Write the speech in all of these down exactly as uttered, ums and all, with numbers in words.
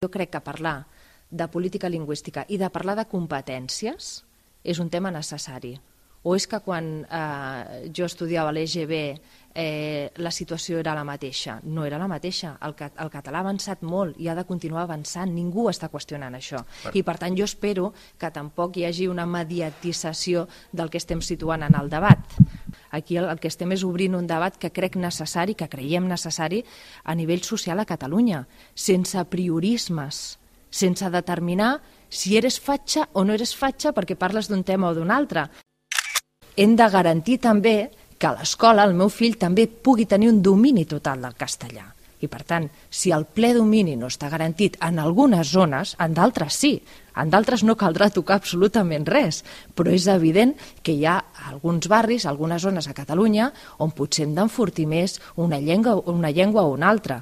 Jo crec que parlar de política lingüística i de parlar de competències és un tema necessari. O és que quan eh, jo estudiava l'E G B eh, la situació era la mateixa? No era la mateixa. El, el català ha avançat molt i ha de continuar avançant. Ningú està qüestionant això. I per tant jo espero que tampoc hi hagi una mediatització del que estem situant en el debat. Aquí el, el que estem és obrint un debat que crec necessari, que creiem necessari a nivell social a Catalunya, sense priorismes, sense determinar si eres fatxa o no eres fatxa perquè parles d'un tema o d'un altre. Hem de garantir també que a l'escola el meu fill també pugui tenir un domini total del castellà. I per tant, si el ple domini no està garantit en algunes zones, en d'altres sí, en d'altres no caldrà tocar absolutament res, però és evident que hi ha alguns barris, algunes zones a Catalunya, on potser hem d'enfortir més una llengua, una llengua o una altra.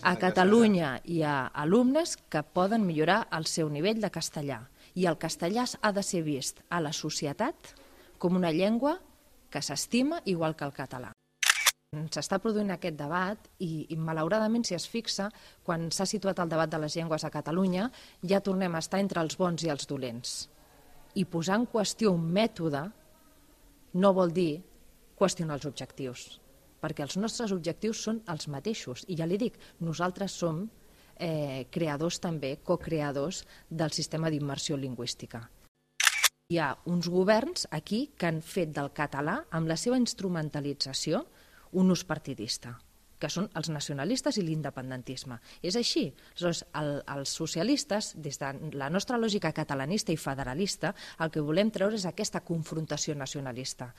A Catalunya hi ha alumnes que poden millorar el seu nivell de castellà i el castellà ha de ser vist a la societat com una llengua que s'estima igual que el català. S'està produint aquest debat i, i malauradament, si es fixa, quan s'ha situat el debat de les llengües a Catalunya, ja tornem a estar entre els bons i els dolents. I posar en qüestió un mètode no vol dir qüestionar els objectius, perquè els nostres objectius són els mateixos. I ja li dic, nosaltres som eh, creadors també, co-creadors del sistema d'immersió lingüística. Hi ha uns governs aquí que han fet del català, amb la seva instrumentalització, un ús partidista, que són els nacionalistes i l'independentisme. És així. Aleshores, el, els socialistes, des de la nostra lògica catalanista i federalista, el que volem treure és aquesta confrontació nacionalista.